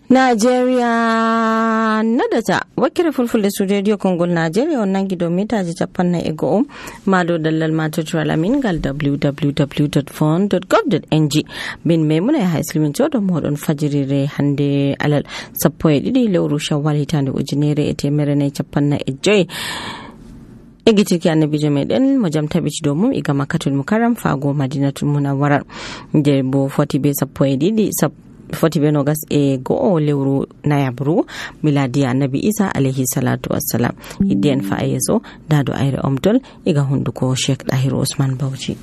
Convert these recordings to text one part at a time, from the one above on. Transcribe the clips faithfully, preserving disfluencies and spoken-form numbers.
Nigeria nadata wakire fulfulde su radio Kongol Nigeria on nangi do mitaji capanna e go'o mado dallal matoto alamin gal w w w dot fon dot gov dot n g bin memuna ya haislimin todo modon fajirire hande alal sappo e didi lewru shawwal hitande ujunere e temere ne capanna e joy egitiki annabijo meɗen mo jam tabbiti dow mum iga makkatul mukarram fago madinatul munawwara nde bo foti be sappo e ɗiɗi foti be nogas e go'o lewru nayabru miladi annabi isa alayhi salatu wassalam iddi en fa yeso dado ayre omtol iga hunduko Sheikh Dahir Usman Bauchi.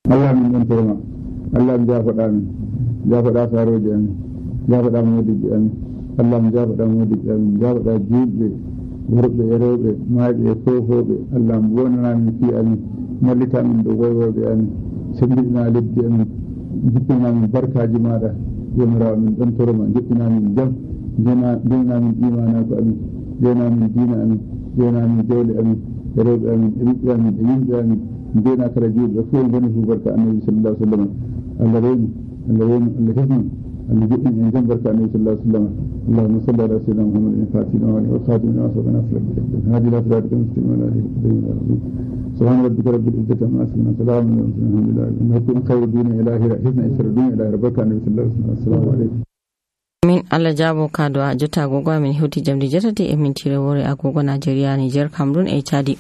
Allah min don torma Allah min jafaɗa min jafaɗa saroje amin jafaɗa modiji amin Allah min jafaɗa modiji amin jafaɗa juɓɓe worɓe e rewɓe maaɓe e fofoɓe Allah mi wonana min fi amin mallita min ɗo woywoɓe amin sembiɗina lebdi amin jippina min barkaji maɗa jomirawo min ɗon toroma jippina min jam jeyna min imanako amin jeyna min diina amin jeyna min jawle amin e rewɓe amin e ɓiɓɓe amin e yimɓe amin jeyna kala juuɓe fof goni fu barka annabi sallallahu alaihi wasallam Allah rewmi Allah rewmi Allah hefmi Allah jiɗɗin en jam barka annabi sallallahu alaihi wasallam اللهم صل على سيدنا محمد الفاتح وعلى وخاتم لما سبق نصر هذه لا صراط المستقيم ولا هدي سبحان ربك رب العزة عما يصفون سلام على المرسلين الحمد لله انكم خير الدين الى حسن اسردون الى ربك النبي صلى الله عليه وسلم السلام عليكم min Allah jabo kado a jota agogo min hoti jamdi jetati e mintire wore agogo Nigeria Niger Cameroon e Chadi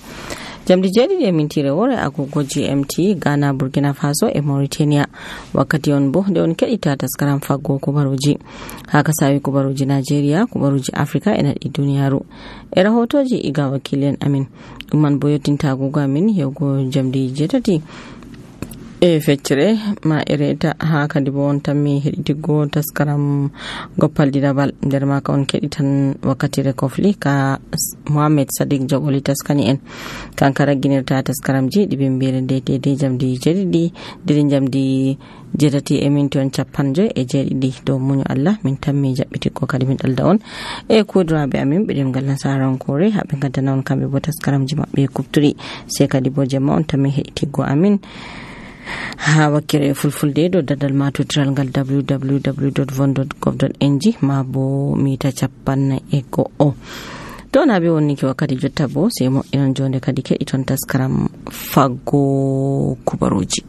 jamdi jadi e mintire wore agogo G M T Ghana Burkina Faso e Mauritania wakkati on bo de on kedita taskaram faggo kubaruji haka sawi kubaruji Nigeria kubaruji Africa e nadi duniyaru e rahotoji iga wakilen amin dum man boyotinta agogo amin yewgo jamdi jetati e feccere ma ereta ha kadi bo on tammi heɗitiggo taskaram goppal didabal nder maka on keɗitan wakkatire kofli ka Mohamed Sadiq jogoli taskani en kanka ragginirta taskaramji ɗiɓe mbiyere nde dede jamdi jeɗiɗi dede jamdi jetati e minti on capanjo e jeeɗiɗi dow muñu Allah min tammi jaɓɓitiggo kadi min ɗalda on e kuduraɓe amin ɓeɗen ngal nasarankore haɓe gaddana on kamɓe bo taskaramji maɓɓe kufturi se kadi bo jemma on tammi heɗitiggo amin ha wakkere fulfulde do dadal matotiral ngal w w w dot von dot gov dot n g ma bo mita capanna e go'o to na be wonni ki wakkati jotta bo sai mo inon jonde kadi ke iton taskaram faggo kubaruji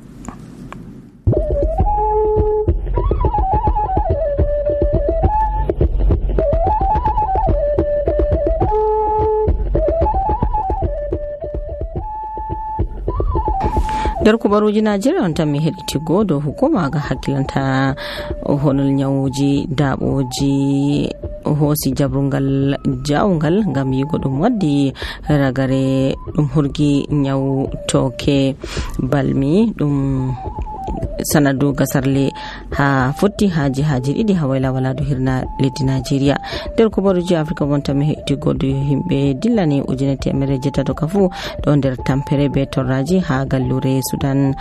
dar kubaruji Najeriya on tan mi heɗitigo dow hukuma ga hakkilanta honol nyawuji daɓoji hoosi jabrungal jawungal ngam yigo ɗum waddi ragare ɗum hurgi nyawu toke balmi ɗum sanadu gasarle ha futti haji haji ɗiɗi ha wayla waladu hirna leddi Nigeria nder kubaruji Africa wonta mi heɗitigo do himɓe dillani ujune temere jetato ka fu ɗo nder tampere be torraji ha gallure Sudan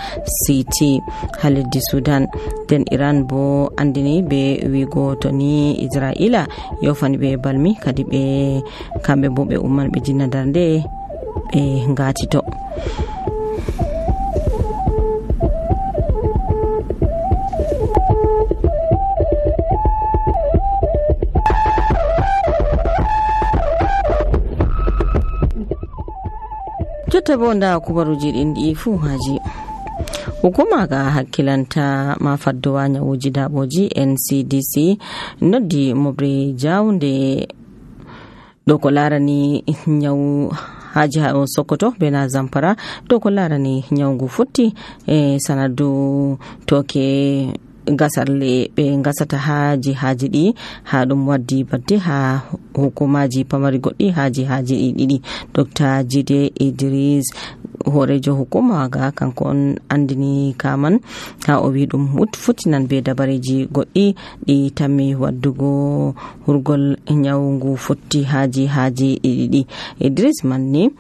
City ha leddi Sudan den Iran bo andini be wigo to ni Israila yofani be balmi kadi be kamɓe bo ɓe umman ɓe jinna darnde ɓe ngati to jotta bo nda kubaruji ɗin ɗi fu haji hukuma ga hakkilanta ma faddowa nyawuji daɓoji N C D C noddi mobre jawnde ɗo ko larani nyawu haji ha Sokoto bena Zamfara ɗo ko larani nyawgu futti e sanadu toke gasarle ɓe gasata haji haji ɗi ha ɗum waddi badde ha hukumaji pamari goɗɗi haji haji ɗi ɗiɗi Dr Jide Idris horejo hukuma ga kanko on andini kaman ha o wi ɗum futtinan be dabareji goɗɗi ɗi tammi waddugo hurgol nyawgu futti haji haji ɗi ɗiɗi Idris manni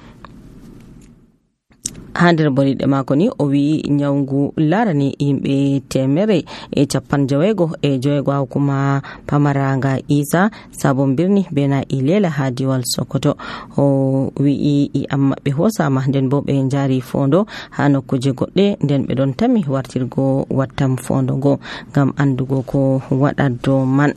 ha nder boliɗe mako ni o wi nyawgu larani yimɓe temere e capan jawego e joyego ha hukuma pamaranga Isa sabon birni bena Ilela ha diwal Sokoto. O wi i amma ɓe hosama nden bo ɓe jari fondo ha nokkuje goɗɗe nden ɓe ɗon tami wartirgo wattam fondo go ngam andugo ko waɗa dow man.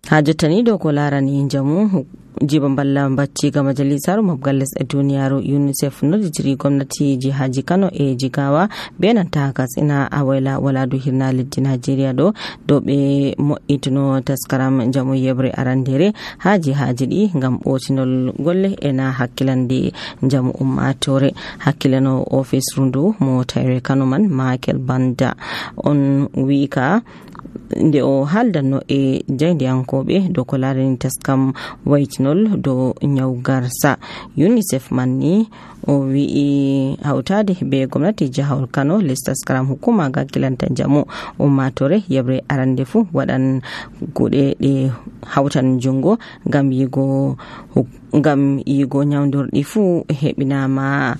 Ha jottani dow ko larani jamu jiba balla bacciga majalisaru mabgal lesɗe duniyaru UNICEF nodditiri gwamnati jihaji Kano e Jigawa be nanta Katsina a wayla waladu hirna leddi Najeriya do dow ɓe mo'ituno taskaram jamu yebre arandere ha jihaji ɗi ngam ɓotinol golle ena hakkilande jamu ummatore. Hakkilano office rundu mo tayre Kano man Michael Banda on wika nde o haldanno e jayndiyankoɓe dow ko larani taskam waytinol dow nyawgarsa. UNICEF man ni o wi'i hawtade be gwamnati jahawol Kano les taskaram hukuma gaggilanta jamu ummatore yebre arande fu waɗan kuɗe ɗe hawtan jungo ngam yigo ngam yigo nyawdorɗi fu heɓinama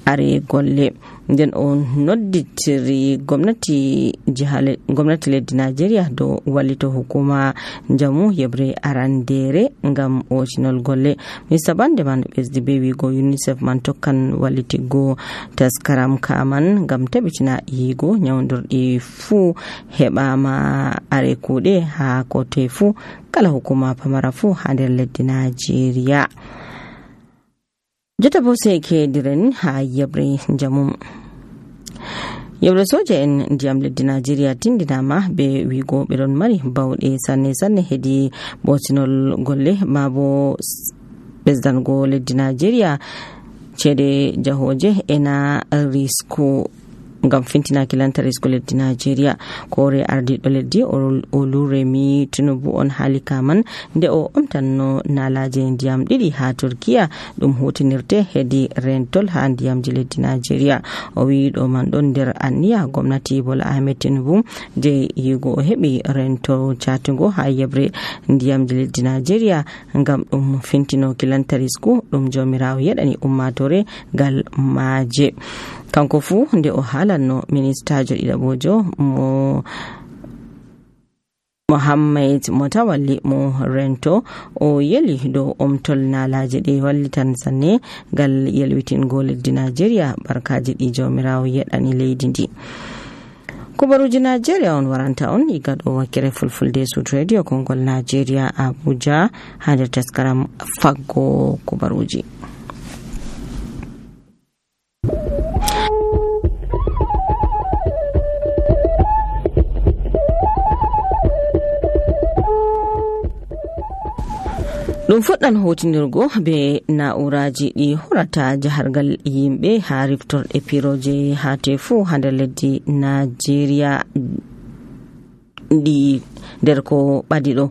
are golle. Nden o nodditiri gwamnati jihale gwamnati leddi Najeriya do wallito hukuma jamu yebre arandere ngam otinol golle. Mister Bande man ɓesdi be wigo UNICEF man tokkan wallitigo taskaram kaman ngam tabitina yigo nyawdorɗi fu heɓama are kuɗe ha kote fu kala hukuma pamara fu ha nder leddi Najeriya. Jota bo sai ke diren ha yebre jamu yebre soja en ndiyam leddi Najeriya tindinama be wigo ɓe ɗon mari bawɗe sanne sanne hedi botinol golle mabo ɓesdango leddi Najeriya cede jahoje ena risku ngam fintinaki lanta risku leddi Najeriya. Kore ardiɗo leddi Oluremi Tinubu on haali kaman nde o omtanno nalaje ndiyam ɗiɗi ha Turkiya ɗum hutinirte hedi rentol ha ndiyamji leddi Najeriya. O wi ɗo man ɗon nder anniya gwamnati Bola Ahmed Tinubu je yigo o heɓi rento catugo ha yebre ndiyamji leddi Najeriya ngam ɗum fintino kilanta risku ɗum jomirawo yeɗani ummatore gal maje. Kanko fu nde o halanno ministajo ɗiɗaɓojo mo Mohammed Motawalli mo rento o yeli dow omtol nalaje ɗe wallitan sanne gal yelwitingo leddi Najeriya barkaji ɗi jomirawo yeɗani leydi ndi. Kubaruji Najeriya on waranta on iga ɗo wakkere fulfulde Sud Radio Kongol Najeriya Abuja ha nder taskaram faggo kubaruji. ɗum fuɗɗan hotinirgo be na'uraji ɗi horata jahargal yimɓe ha riftorɗe piroje ha tefu ha nder leddi Najeriya ɗi nder ko ɓadi ɗo.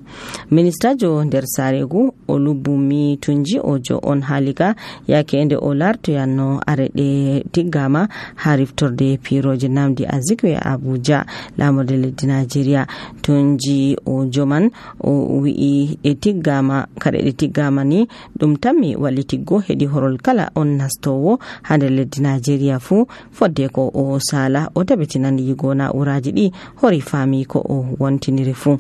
Ministajo nder saregu Olubumi Tunji Ojo on halika yake nde o lartoyanno areɗe tiggama ha riftorde piroje Namdi Azikiwe Abuja lamorde leddi Najeriya. Tunji Ojo man o wi'i e tiggama kare ɗe tiggama ni ɗum tammi wallitiggo hedi horol kala on nastowo ha nder leddi Najeriya fu fodde ko o sala o tabitinan yigo na'uraji ɗi hori fami ko o wontiniri fu.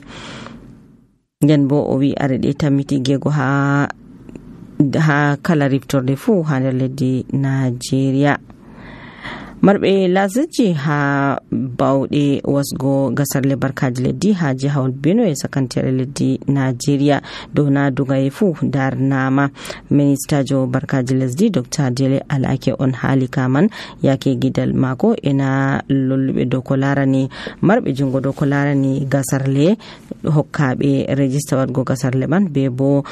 Nden bo o wi areɗe tammiti gego ha ha kala riftorde fu ha nder leddi Najeriya. Marɓe lasiji ha bawɗe wasgo gasarle barkaji leddi ha jihawol Benue sakantere leddi Najeriya dow nadugaye fu darnama. Ministajo barkaji lesdi Dr Dele Alake on haali kaman yake gidal mako ena lolluɓe dow ko larani marɓe jungo dow ko larani gasarle hokkaɓe rejista wadgo gasarle man be bo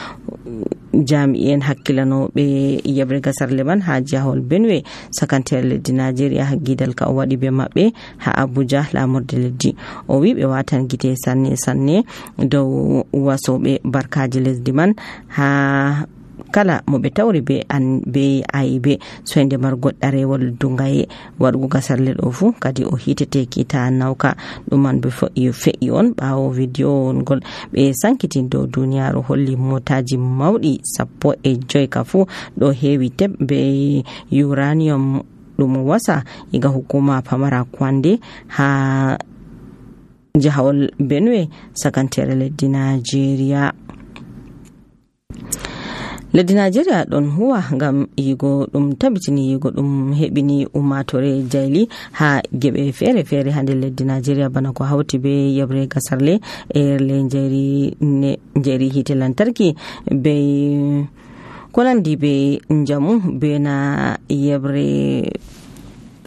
jami'en hakkilanoɓe yebre gasarle man ha jihawol Benue sakantere leddi Najeriya ha gidal ka o waɗi be maɓɓe ha Abuja lamorde leddi. O wi ɓe watan gite sanne sanne dow wasoɓe barkaji lesdi man ha kala mo ɓe tawri be an be ayibe soyde margo ɗarewol dungaye waɗugo gasarle ɗo fu kadi o hitete kita nawka. ɗum man be fe'i on ɓawo video ngol ɓe sankiti dow duniyaru holli motaji mawɗi sappo e joyi ka fu ɗo heewi teb be uranium ɗum wasa iga hukuma pamara kwande ha jahawol benue sakantere leddi Najeriya. leddi Najeriya ɗon huwa ngam yigo ɗum tabitini yigo ɗum heɓini ummatore jayli ha geɓe fere fere ha nder leddi Najeriya bana ko hawti be yebre gasarle e le jeri jeri hite lantarki be konandi be njamu be na yebre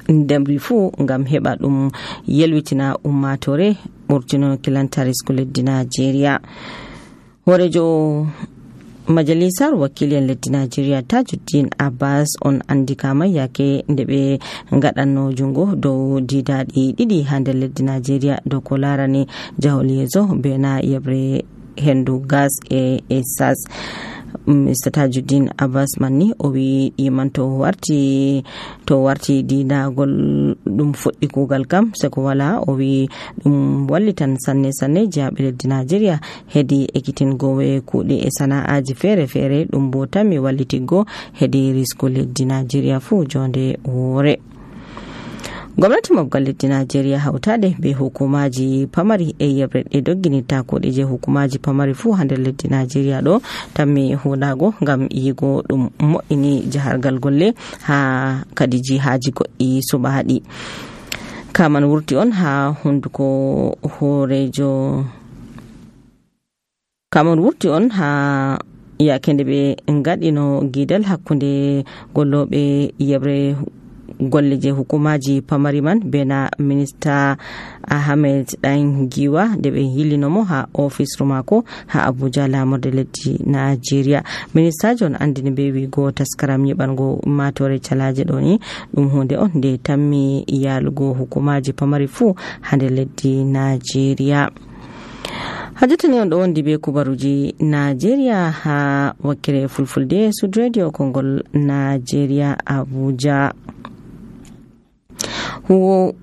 ndemri fu ngam heɓa ɗum yelwitina ummatore ɓurtino kilantari sku leddi Najeriya. horejo majalisar wakilien leddi Najeriya Tajuddin Abbas on andikama yake nde ɓe ngaɗanno jungo dow didaɗi ɗiɗi ha nder leddi Najeriya dow ko larani jahol yeeso be na yebre hendu gas e esas. Mr Tajuddin Abbas manni o wi iman to warti to warti dinagol ɗum fuɗɗi kugal kam seko wala. O wi ɗum wallitan sanne sanne jaaɓe leddi Najeriya hedi ekitingowe kuuɗe e sana'aji fere fere ɗum bo tammi wallitigo hedi risku leddi Najeriya fu jonde woore. gwamnati mabgal leddi Najeriya hautade be hukumaji pamari e yebre ɗe dogginita kuɗe je hukumaji pamari fu ha nder leddi Najeriya ɗo tammi huɗago ngam yigo ɗum mo'ini jahargal golle ha kadi jihaji goɗɗi suɓaɗi. kaman wurti on ha hunduko horejo kaman wurti on ha yakende ɓe ngaɗino gidal hakkunde golloɓe yebre golle je hukumaji pamari man bena minista Ahmed Dan Giwa de ɓe hilinomo ha office mako ha Abuja lamorde leddi Najeriya. Minista John andini be wigo taskaram nyiɓango ummatore calaje ɗo ni ɗum hunde on nde tammi yalugo hukumaji pamari fu ha nder leddi Najeriya. hajjatani on ɗo wondi be kubaruji Najeriya ha wakkere fulfulde Sud Radio Kongol Najeriya Abuja. huwo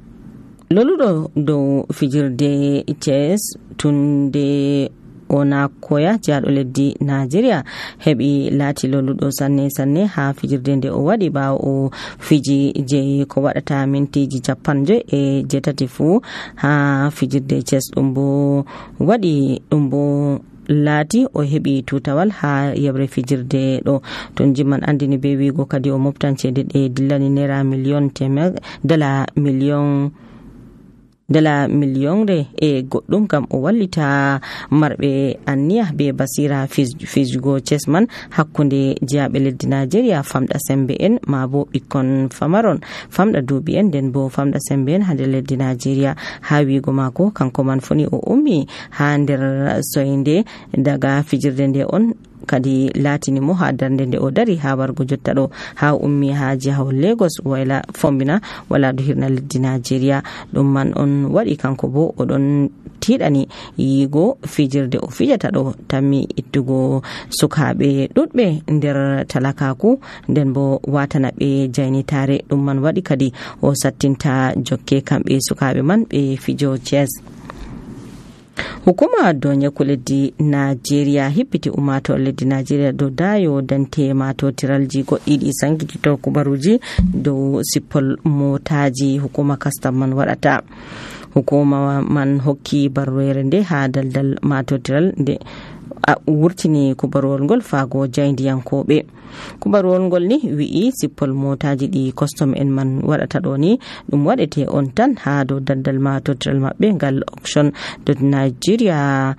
loluɗo dow fijirde chess tunde ona koya jaɗo leddi Najeriya heɓi laati loluɗo sanne sanne ha fijirde nde o waɗi ɓawo o fiji je ko waɗata mintiji capan joyi e jetati fu ha fijirde chess ɗum bo waɗi ɗum bo laati o heɓi tutawal ha yebre fijirde ɗo. ton jimman andini be wigo kadi o moftan cede ɗe dillani naira million temer dala million dala millionre e goɗɗum kam o wallita marɓe anniya be basira fijugo chess man hakkunde jiyaɓe leddi Najeriya famɗa sembe en ma bo ɓikkon famaron famɗa duuɓi en nden bo famɗa sembe en ha nder leddi Najeriya. ha wigo mako kanko man foni o ummi ha nder soyde daga fijirde nde on kadi latini mo ha darde nde o dari ha wargo jotta ɗo ha ummi ha jihawol Lagos wayla fombina wala do hirna leddi Najeriya. ɗum man on waɗi kanko bo oɗon tiɗani yigo fijirde o fijata ɗo tammi ittugo sukaɓe ɗuɗɓe nder talakaku nden bo watana ɓe jaynitare. ɗum man waɗi kadi o sattinta jokke kamɓe sukaɓe man ɓe fijo chess. hukuma donya ko leddi Najeriya hippiti umato leddi Najeriya do dayo dante mato tiralji goɗɗiɗi sankitito kubaruji dow sippol motaji hukuma custom man waɗata. hukuma man hokki barroere nde ha daldal mato tiral nde a wurtini kubarwol ngol faago jayndiyankoɓe. kubarwol ngol ni wi'i sippol motaji ɗi custom en man waɗata ɗo ni ɗum waɗete on tan ha dow daldal matotiral maɓɓe ngal auction dot nigeria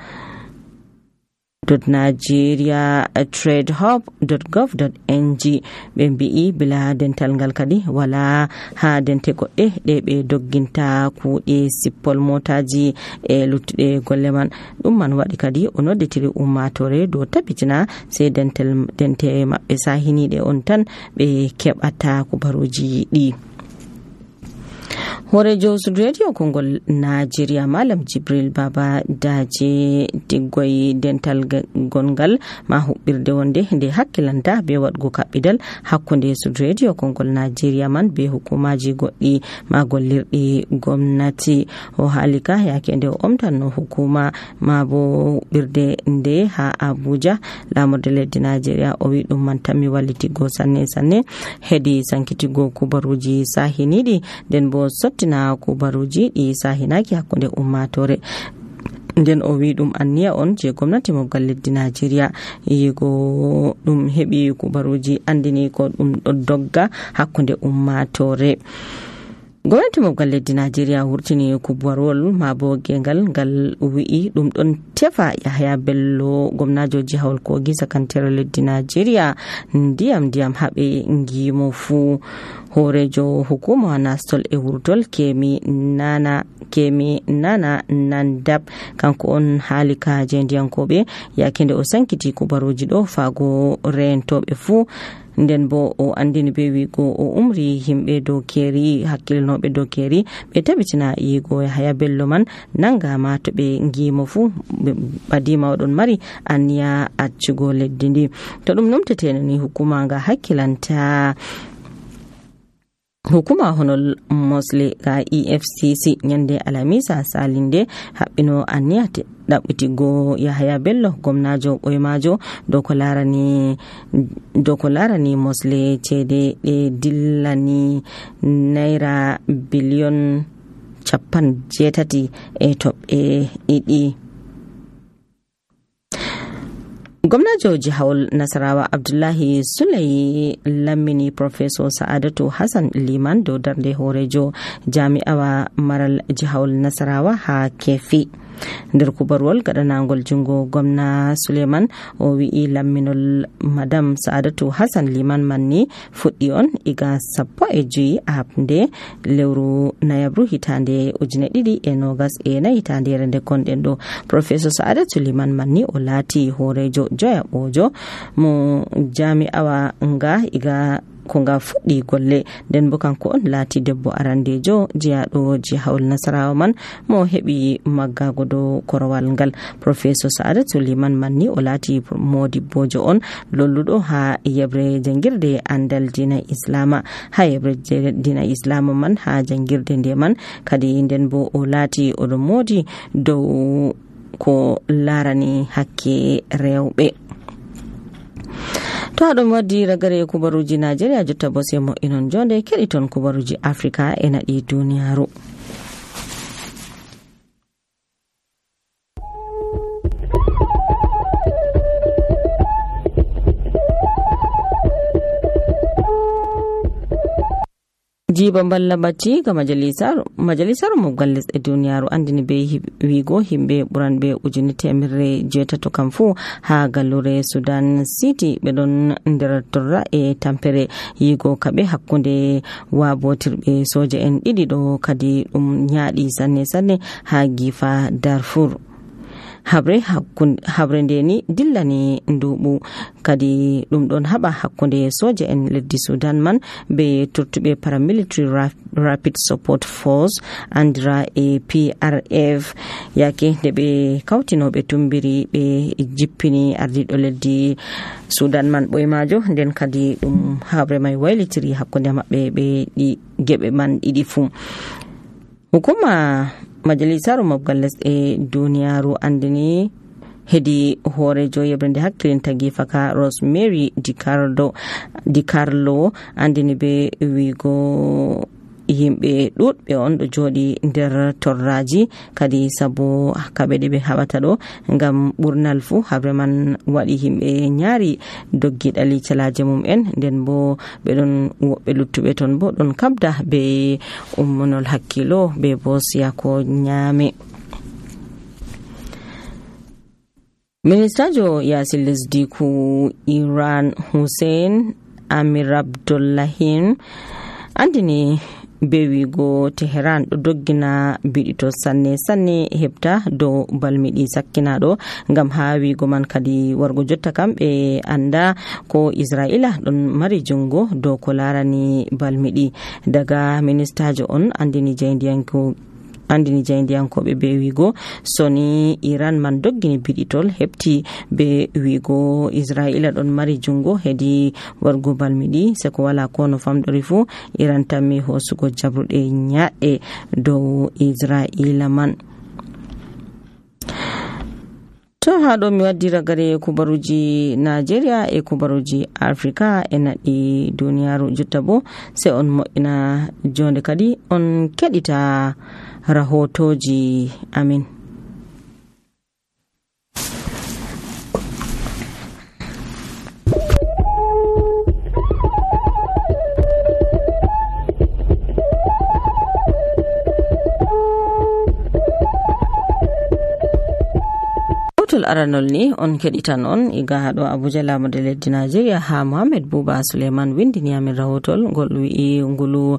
dot nigeria trade hub dot gov dot n g. ɓe mbi'i bila dental ngal kadi wala ha dente goɗɗe ɗe ɓe dogginta kuuɗe sippol motaji e luttuɗe golle man. ɗum man waɗi kadi o nodditiri ummatore dow tabitina sei dentel dente maɓɓe sahiniɗe on tan ɓe keɓata kubaruji ɗi. horejo radio kongol Najeriya Malam Jibril Baba Daje diggoy dental gongal ma hubbirde wonde nde hakkilanta be wadgo kabbidal hakkunde radio kongol Najeriya man be hukumaji goddi ma gollirdi gomnati o halika yake nde omtanno hukuma ma bo birde nde ha Abuja lamorde leddi Najeriya o wi dum man tammi wallitigo sanne sanne hedi sankitigo kubaruji sahinidi den bo sottina kubaruji di sahinaki hakkunde ummatore nden o wi dum anniya on je gwamnati mobgal leddi Najeriya yigo dum hebi kubaruji andini ko dum do dogga hakkunde ummatore. Gwamnati mobgal leddi Najeriya wurtini kubarwol mabo gengal gal wi'i dum don tefa Yahaya Bello gwamnajo jihawol Kogi sakantare leddi Najeriya ndiyam ndiyam habe ngimo fu horejo hukuma nastol e wurtol kemi nana kemi nana nandab kanko on halika jendiyankobe yakinde o sankiti kubaruji do fago rentobe fu nden bo o andini be wigo o umri himbe do keri hakkilnobe do keri be tabitina yigo Yahaya Bello man nangama to be ngimo fu badima odon mari aniya accugo leddi ndi to dum numteteno ni hukuma nga hakkilanta hukuma honol mosle ga E F C C nyande alamisa salinde habbino aniyate dabbitigo Yahaya Bello gomnajo boymajo do ko larani do ko larani mosle cede e dillani naira billion capan jetati e top e idi. Gwamnajo jihawol Nasarawa Abdullahi Sulai Lamini Professor Sa'adatu Hassan Liman do darde horejo jami'awa maral jihawol Nasarawa ha kefi nder kubarwol gadanangol jungo gwamna Suleiman o wi'i lamminol madam Sa'adatu Hassan Liman manni fuddi on iga sappo e juyi abnde lewru nayabru hitande ujune didi e nogas e na hitande rende konden do. Professor Sa'adatu Liman manni o lati horejo joya bojo mo jami'awa nga iga konga fuddi golle den bo kanko on lati debbo arandejo jiyaɗo jihawol Nasarawa man mo hebi maggago do korowal ngal. Professor Sa'adatu Liman manni o lati modibbojo on lolludo ha yebre jangirde andal dina Islama ha yebre dina Islama man ha jangirde nde man kadi den bo o lati o do modi dow ko larani hakke rewbe. To adon waddi ragare kubaruji Najeriya jotta bose mo inon jonde kediton kubaruji Afrika e nadi duniyaru. jiba balla batti ga majalisar majalisar mobgal lesɗe duniyaru andini be wigo himbe buran be ujuni temirre jetato kamfu ha gallure Sudan City be don nder torra e tampere yigo kabe hakkunde wabotirbe soja en didi do kadi dum nyaadi sanne sanne ha gifa Darfur. habre hakkunde habre ndeni dillani ndubu kadi dum don haba hakkunde soja en leddi Sudan man be turtube paramilitary rapid support force andra e P R F yake de be kautinobe tumbiri be jippini ardido leddi Sudan man boymajo den kadi dum habre mai wailitiri hakkunde mabbe be di gebe man idi fu. Hukuma majalisaru mobgal lesɗe duniyaru andini hedi horejo yebrende hakkilinta gifaka Rosemary DiCarlo DiCarlo andini be wigo yimbe dudbe on do jodi nder torraji kadi sabo kabe de be habata do ngam burnal fu habre man wadi himbe nyaari doggi dali calaaje mum en den bo be don wobbe luttube ton bo don kabda be ummonol hakkilo be bo siya ko nyaame. Ministajo yasil lesdi ku Iran Hussein Amir Abdullahian andini be wigo Tehran ɗo doggina biɗito sanne sanne hebta dow balmiɗi sakkinaɗo ngam ha wigo man kadi wargo jotta kam ɓe anda ko Israila ɗon mari jungo dow ko larani balmiɗi. Daga ministajo on andini jayndiyanko andini jayndiyankoɓe be wigo soni Iran man doggini biɗitol hebti be wigo Israila ɗon mari jungo hedi wargo balmiɗi seko wala ko no famɗori fu Iran tammi hosugo jabruɗe nyaɗɗe dow Israila man. To haɗo mi waddi ragare kubaruji Nigeria e kubaruji Africa e naɗi duniyaru jotta bo se on mo'ina jonde kadi on keɗita rahotoji amin. aranol ni on keɗitan on iga haɗo Abuja lamade leddi Nigeria ha Mohammed Buba Suleiman windini amin rahotol ngol wi'i ngulu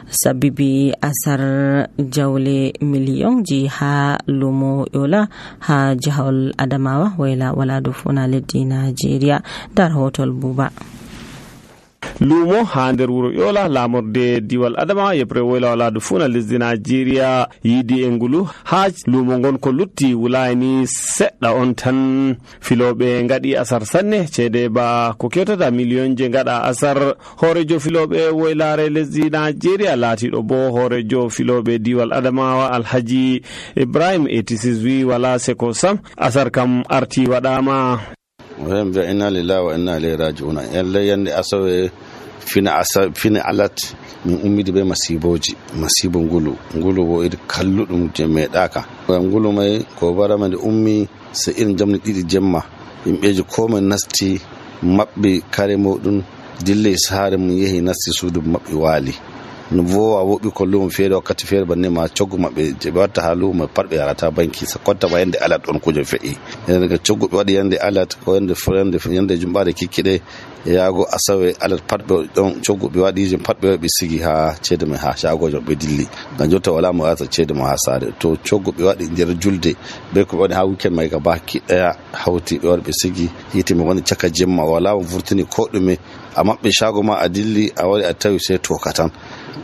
sabibi asar jawle millionji ha lumo yola ha jihol Adamawa wayla wala do funa leddi Nigeria. Dar rahotol Buba. lumo ha nder wuro yola lamorde diwal Adamawa yebre woyla wala do funa lesdi Nigeria yidi e ngulu ha lumo gon ko lutti wulayni sedda on tan filobe ngadi asar sanne cede ba ko kewtata million je ngada asar horejo filobe woylare lesdi Nigeria lati do bo horejo filobe diwal Adamawa Alhaji Ibrahim eighty-six wi wala seko sam asar kam arti wadama wembe inna lillahi wa inna ilaihi raji'un yalla yande asawe fina asa fina alat min ummidi be masiboji masibo ngulu ngulu bo id kalludum je medaka ngulu mai ko barama de ummi se irin jamni didi jemma yimbeji ko men nasti mabbe kare modun dille sare mun yehi nasti sudu mabbe wali no vowa wobi ko lum feere wakati feere banne ma coggu mabbe je watta halu ma parbe yarata banki sa kotta ba yande alat on kuje fe'i daga coggu be wadi yande alat ko yande frende yande jumbaade kikkide yaago asawe alat parbe don coggu be wadi je parbe be sigi ha cede me ha shago jo be dilli ga jotta wala mo asa cede mo ha sare to coggu be wadi der julde be ko wadi ha weekend mai ga baki daya hauti be wadi be sigi yiti mo woni chaka jemma wala vurtini ko dume amma be shago ma adilli a wadi atawi sai to katan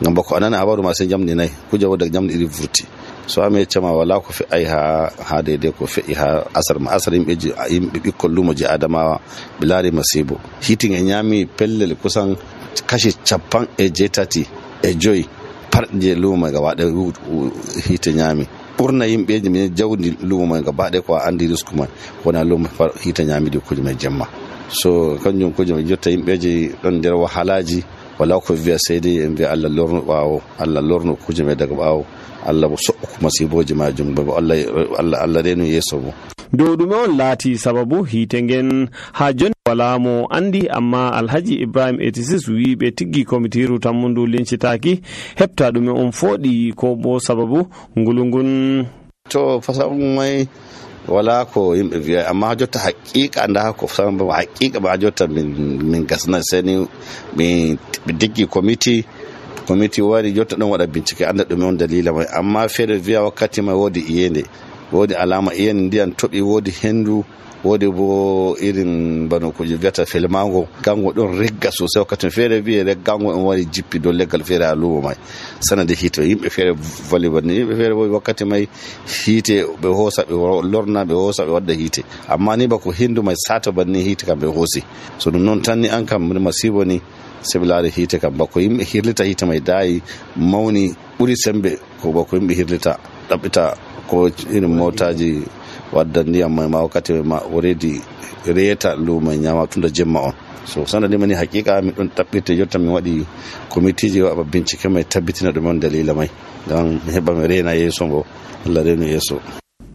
ngam bako anana habaru ma sai jamni nay kuje woda jamni iri vurti so ame chama wala ko fi ai ha ha dede ko fi ha asar ma asar yimbe yimbe bikkol lumo je Adamawa bilari masibo hitin e nyami pellel kusan kashi capan e jetati e joy parje lumo ga wada hite nyami burna yimbe je min jawdi lumo ga bade ko andi risku man wona lumo hite nyami de kuje me jamma so kanjum kuje me jotta yimbe je don der wahalaji wala ko viya sai dai in bi Allah lorno bawo Allah lorno kuje mai daga bawo Allah so kuma siboji majum ba Allah Allah Allah renu yeso bo do dume on lati sababu hitengen ha jon wala mo andi amma Alhaji Ibrahim eighty-six wi be tiggi komitiru tammundu lincitaki hepta dume on fodi ko bo sababu ngulungun to fasabu mai wala ko yimbe viya amma jotta haqiqa anda ko san ba haqiqa ba jotta min min gasna seni min diggi committee committee wari jotta don wada bincike anda dum on dalila mai amma fere viya wakati mai wodi iyende wodi alama iyende ndiyan tobi wodi hendu wodi bo irin bano ko jigata filmango gango don regga sosai wakati fere viya reggango on wari jippi do legal fere alumo mai sanade hito yimbe fere volleyball ni yimbe fere wakati mai hite be hosa be lorna be hosa be wadda hite amma ni bako hindu mai sata banni hite kam be hosi so dum non tanni an kam masibo ni sebilare hite kam bako yimbe hirlita hite mai dai mauni buri sembe ko bako yimbe hirlita dabita ko irin motaji wadda ndiyam mai ma wakati ma already reta luma nyama tunda jemma on so sanade mani hakika mi don tabbite jotta mi wadi committee je wa bincike mai tabbitina dum on dalila mai dan heba mi rena yeso go Allah renu yeso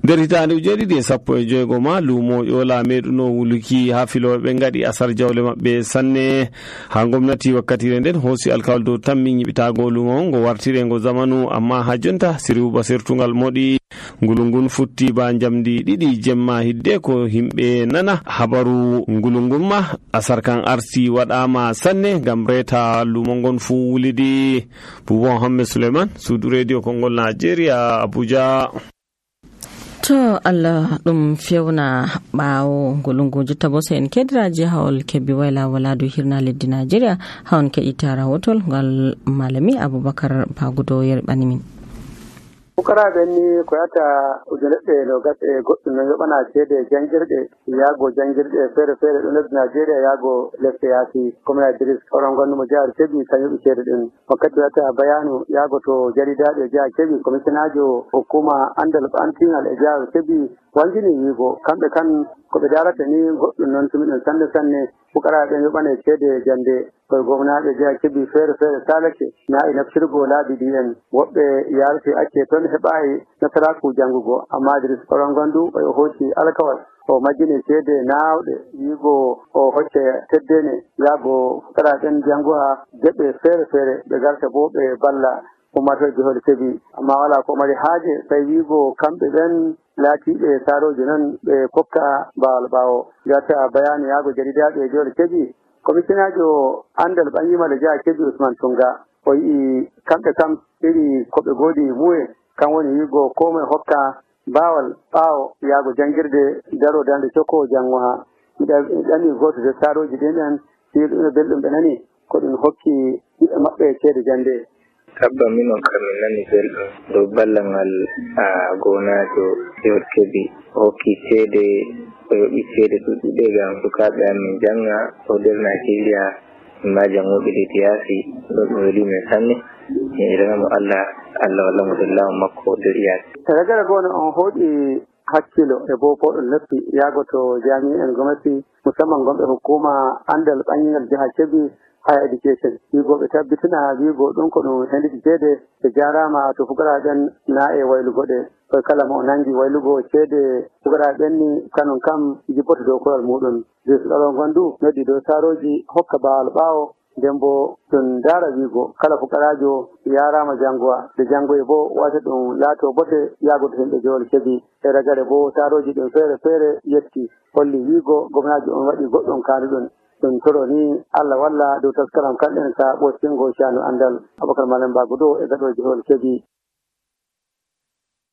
nder hitande ujeɗiɗi e sappo e joygo ma lumo yola meɗuno wuluki ha filoɓe ɓe gaɗi asar jawle maɓɓe sanne ha gomnati wakkatire nden hoosi alkawal dow tammi ñiɓitago lumo ngo wartire ngo zamanu amma ha jonta siriwba sertugal moɗi ngulungun futti ba jamdi ɗiɗi jemma hidde ko himɓe nana habaru ngulungun ma asar kan arti waɗama sanne gam reta lumo ngon fu wulidi. Boubou Hammed Suleiman, Sudu Radio Kongol Nigeria, Abuja. To Allah ɗum fewna ɓawo ngolungu jotta bo sai en kediraji hawol kebbi wayla waladu hirna leddi Nigeria hawon keɗita rawotol ngal malami Abubakar Bagudo yerɓani min. Fukaraɓe ni ko yata ujunere no gatse goɗɗum no yoɓana ceede jangirɗe yaago jangirɗe feere feere ɗo lesdi Nigeria yaago lesɗe yaasi commune Idris oron gonnumo jihar Kebbi kan yoɓi ceede ɗin wakkati wata bayanu yaago to jaridaɗe jihar Kebbi commissionajo hukuma andal antingal e jihar Kebbi wangini wiigo kamɓe kan ko ɓe darata ni goɗɗum noon tumi ɗum sanne sanne fukaraɓe yoɓane ceede jande koye gomnaɓe jihar Kebbi feere feere salake na e naftirgo laabi ɗi en woɓɓe yarti acce toon heɓayi nasaraku jangugo amma Idris oron gondu o hocci alkawal o majjini ceede nawɗe wiigo o hocce teddene yaago fukaraɓen janguha geɓe feere feere ɓe garta bo ɓe balla ummato jihol Kebbi amma wala ko mari haaje tawi wiigo kamɓe ɓen laatiɓe saroji noon ɓe kokka bawal ɓawo gata bayani yaago jaridaɓe jihol Kebbi commissionajo andal ɓangimal jihar Kebbi Usman Tunga o yii kamɓe kam iri koɓe goodi muye kan woni wiigo komoe hokka bawal ɓawo yaago jangirde daro dande cokko jangoha miɗa ɗani goto de saroji ɗin en siɗuno belɗum ɓe nani ko ɗum hokki ɓiɓɓe maɓɓe ceede jande. Tabba minon kamin nani belɗum dow ballangal a gonajo jihar Kebbi hokki ceede o yoɓi ceede ɗuɗɗuɗe gam sukaɓe amin janga o nder Nigeria ma jangoɓe leydi yaasi ɗum ɗum weli men sanne mi iranamo Allah Allah walla mo dollawo makko nder yaasi. Ragara gono on hoɗi hakkilo e bo ko ɗum leppi yaago to jami'en gomnati musamman gonɓe hukuma andal ɓangingal jihar Kebbi higher education wiigo ɓe tabbitina wiigo ɗum ko ɗum hendiɗi ceede ɓe jarama to fukaraɓen na e waylugoɗe koye kala mo nangi waylugo ceede fukaraɓen ni kanon kam jippoto dow koyal muɗum ɗo gondu noddi dow saroji hokka bawal ɓawo nden bo ɗum dara wiigo kala fukarajo yarama jangowa nde jangoye bo wata ɗum laato bote yaago to himɓe jihol Kebbi e ragare bo saroji ɗum feere feere yetti holli wiigo gomnajo on waɗi goɗɗum kaani ɗum ɗum toro ni Allah walla dow taskaram kamɗen ka ɓostingo canu andal Abubakar Malam Bagudo e gaɗo jihol Kebbi.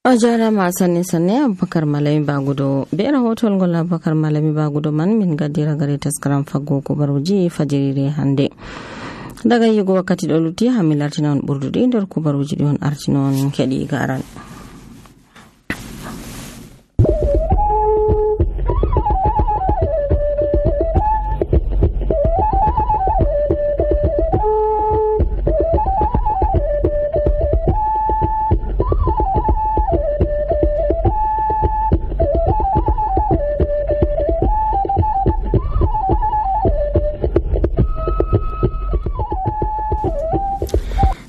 O jarama sanne sanne Abubakar Malami Bagudo be rahotol ngol Abubakar Malami Bagudo man min gaddira gare taskaram faggo kubaruji fajirire hande daga yigo wakkati ɗo lutti ha mi lartina on ɓurduɗi nder kubaruji ɗi on artino on keɗi garan.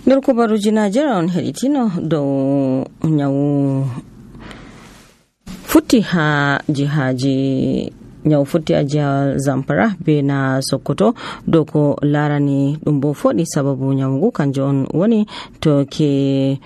nder kubaruji Najeriya on heɗitino dow nyawu futti ha jihaji nyawu futti a jiha Zamfara be na Sokoto dow ko larani ɗum bo foɗi sababu nyawugu kanjo on woni to ke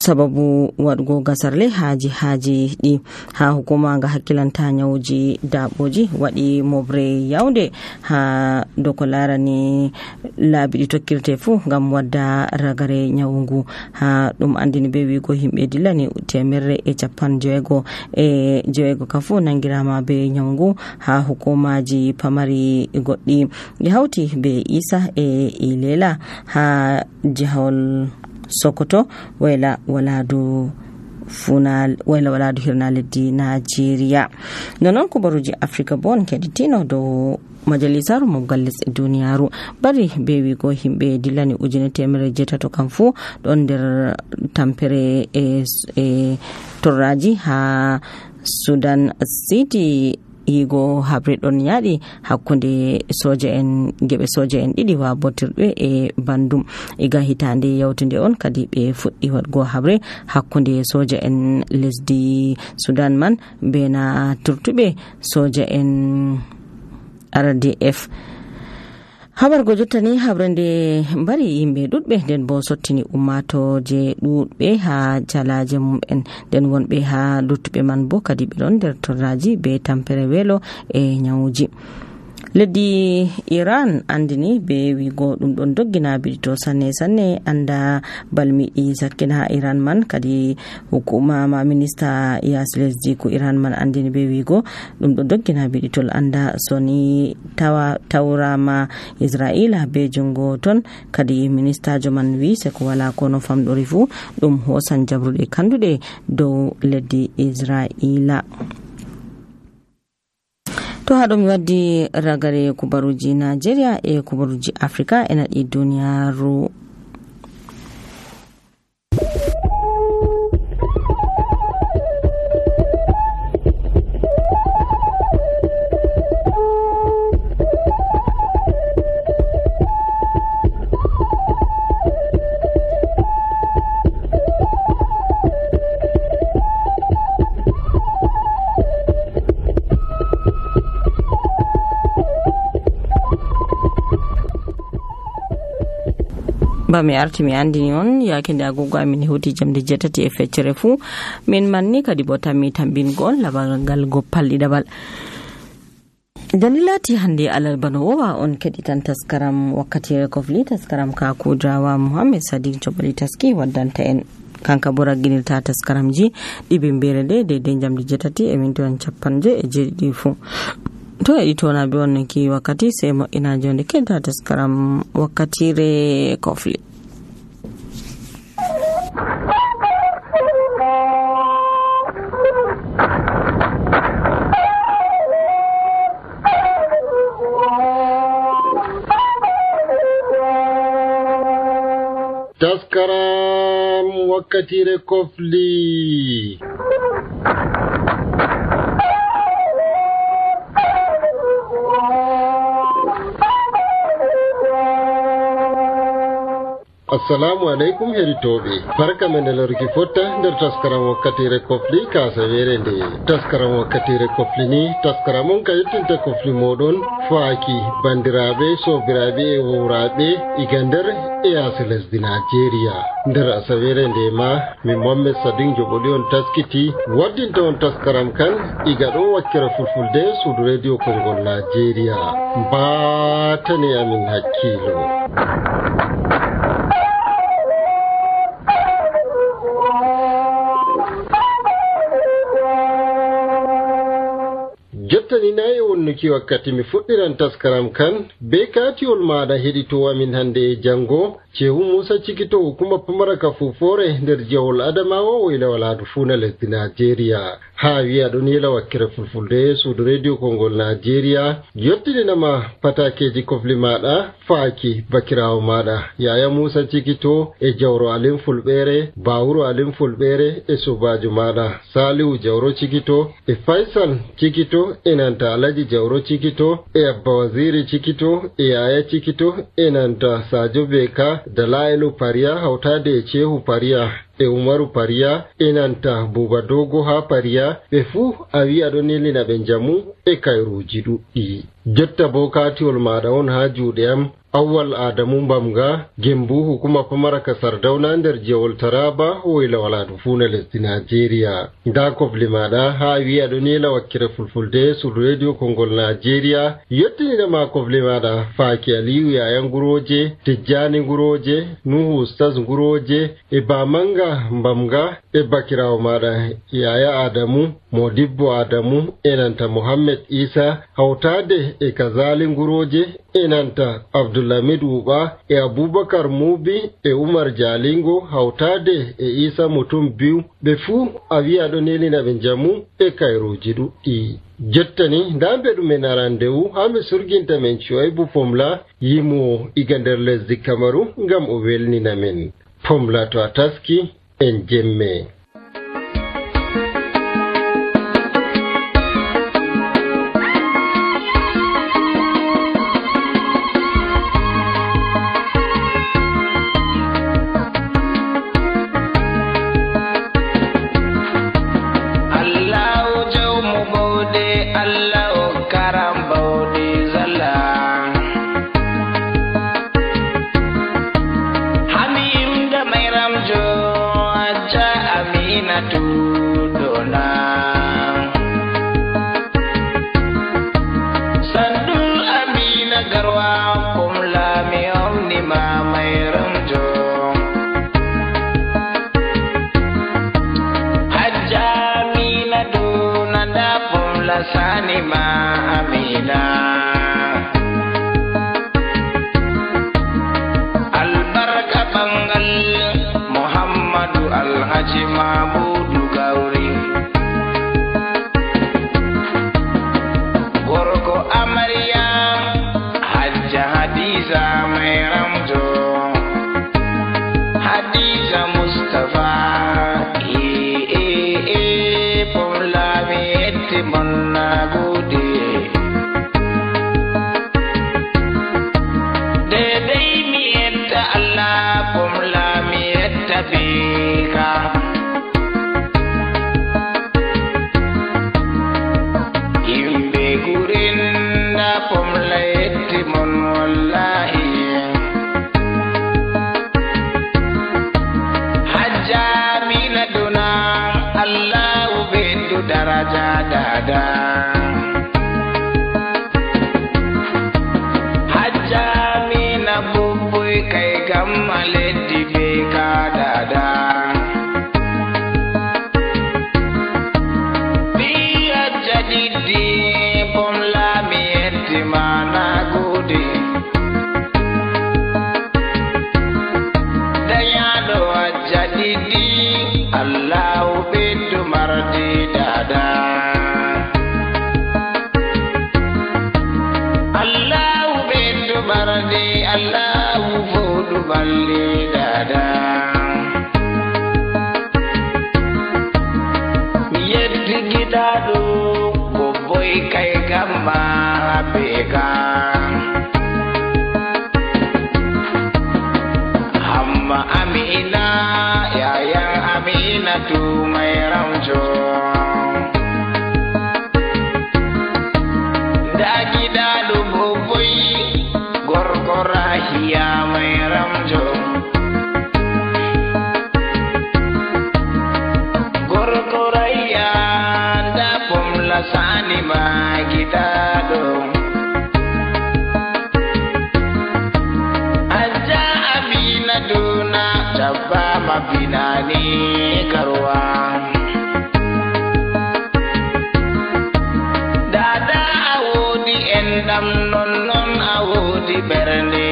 sababu waɗugo gasarle ha jihaji ɗi ha hukuma nga hakkilanta nyawuji daɓoji waɗi mobre yawnde ha dow ko larani laabi ɗi tokkirte fuu ngam wadda ragare nyawugu ha ɗum andini be wiigo himɓe dillani temerre e capan joweego e joweego ka fuu nangirama be nyawugu ha hukumaji pamari goɗɗi ɗi hawti be Isa e Ilela ha jihawol Sokoto wayla waladu funal wayla waladu hirna leddi Nigeria. Nonon kubaruji Africa bon keditino do majalisaru mobgal lesɗe duniyaru bari be wigo himɓe dillani ujune temere jetato kam fu ɗon nder tampere e, e torraji ha Sudan City yigo habre ɗon yaɗi hakkunde soja en geɓe soja en ɗiɗi wa botirɓe e bandum iga hitande yawtude on kadi ɓe fuɗɗi waɗgo habre hakkunde soja en lesdi Sudan man bena turtuɓe soja en R D F. habargo jottani habrande mbari yimɓe ɗuɗɓe nden bo sottini ummatoje ɗuɗɓe ha jalaje mum'en nden wonɓe ha luttuɓe man bo kadi ɓe ɗon nder torraji be tampere welo e nyawuji. leddi Iran andini be wigo ɗum ɗon doggina biɗito sanne sanne anda balmiɗi sakkina ha Iran man kadi hukuma ma minista yas lesdi ko Iran man andini be wigo ɗum ɗon doggina biɗitol anda soni tawa tawrama Israila be jungo ton kadi minista jo man wi se ko wala kono famɗori fu ɗum hosan jabruɗe kanduɗe dow leddi Israila. to haɗo mi waddi ragare kubaruji Nigeria e kubaruji Africa e naɗi duniyaru. ba mi arti mi andini on yake nde agogo amin hewti jamde jetati e feccere fu min manni kadi bo tammi tambingol labagal goppal ɗiɗaɓal. dalilati hande alal bano wowa on keditan taskaram wakkati kofli taskaram ka kudrawa Muhammad Sadiq Jobali taski waddanta en kanka bo ragginirta taskaramji ɗiɓe mbere nde de jamde jetati e mintoon capanje e jeeɗiɗi fu. to e itona be wannan ki wakkati sai mo ina jonde kenta taskaram wakkatire kofli. taskaram wakkatire kofli. assalamu alaikum heritoɓe barka men e lorki fotta nder taskaram wakkatire kofli kasawere nde taskaram wakkatire kofli ni taskaram on ka yettinta kofli moɗon faaki bandiraɓe sobiraɓe e wowraɓe iga nder e yaasi lesdi Nigeria. nder asawere nde ma min Mohammed Sadiq Joboli on taskiti waddinta on taskaram kan iga ɗo wakkere fulfulde suudu radio kongol Nigeria. mbatane amin hakkilo. jottani nayi wonnuki wakkati mi fuɗɗiran taskaram kan be katiwol maɗa heɗito amin hande e jango cehu Musa Cikito hukuma pamaraka fufore nder jawol Adamawa woylawal hadu funa lesdi Nigeria. ha wi'a ɗon yela wakkere fulfulde suudu radio kongol Nigeria yottininama patakeji kofli maɗa faaki bakirawo maɗa Yaya Musa Cikito e jawro Alim Fulɓere Bawuro Alim Fulɓere e sobajo maɗa Salihu Jawro Cikito e Faisal Cikito e nanta Alaji Jawro Cikito e Abba Waziri Cikito e Yaya Cikito e nanta Sajo Beka Dalailu Pariya hawtade e Cehu Pariya e Umaru Pariya e nanta Buba Dogo ha Pariya ɓe fuu a wi aɗo nelina ɓe njamu e kayruji ɗuɗɗi. jotta bo katiwol maɗa on ha juuɗe am Awwal Adamu Mbamga Gembu hukuma pamaraka Sardauna nder jewol Taraba woylawal hadu funa lesdi Nigeria. nda kofli maɗa ha wi aɗo nela wakkere fulfulde sur radio kongol Nigeria yettinina ma kofli maɗa faaki Aliyu Yaya Nguroje Tijjani Nguroje Nuhu Ustaz Nguroje e Bamanga Mbamga e bakirawo maɗa Yaya Adamu Modibbo Adamu enanta Muhammad Isa hawtade e Kazali Nguroje enanta Abdulhamid Uba e Abubakar Mubi e Umar Jalingo hawtade e Isa Mutum biyu ɓe fuu a wi'a ɗo nelina ɓe njamu e kayruji ɗuɗɗi. jottani nda mbeɗumen arandewu ha mi surginta men Shuaibu Pomla yimo iga nder lesdi Kamaru ngam o welnina men. Pomla to a taski en jemme. Allah o karam bawdi zalla Hamim da Mairam jo Aja Aminatu dona Sandul Amina garwa kumla mi omni ma Mairam jo Aja Aminatu nanda kumla sani ma Amina Albarka bangal Muhammadu Alhaji Mabudu Gauri Gorko Amarya Hajja Hadiza Mairam jo Hadiza Mustafa eh eh eh Pomla mi etti monna gude Dedai mi etta Allah Pomla mi etta bika Imbe gurinda Pomla etti mon wallahi Hajja Amina duna Allah ubendu daraja dada Hajja Amina bubuy kai gamma leddi beka dada Biya jadidi Pomla mi etti mana gudi Dayado jadidi Allah ubendu mardi dada Allah ubendu mardi Allah ufodu balli dada Yetti gidado boboy kai gamma beka Hamma Amina yayan Aminatu Mairam jo Da gidado boboy gorko Rahiya Mairam jo Gorko Rahiya da Pomla sani ma gidado Aja Amina duna Jabba mabinani garwa Dada awodi endam non non awodi berne